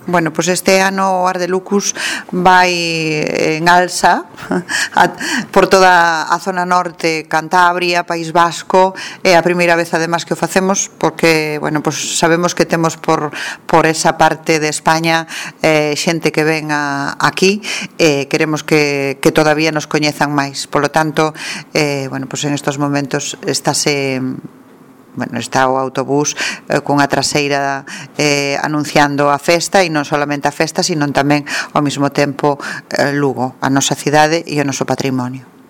Bueno, pois este ano o Ardelucus vai en alza por toda a zona norte, Cantabria, País Vasco. É a primeira vez además que o facemos porque, bueno, pois sabemos que temos por esa parte de España xente que ven aquí e queremos que todavía nos coñezan máis. Polo tanto, bueno, pois en estos momentos está o autobús cunha traseira anunciando a festa, e non solamente a festa, sino tamén ao mesmo tempo Lugo, a nosa cidade e o noso patrimonio.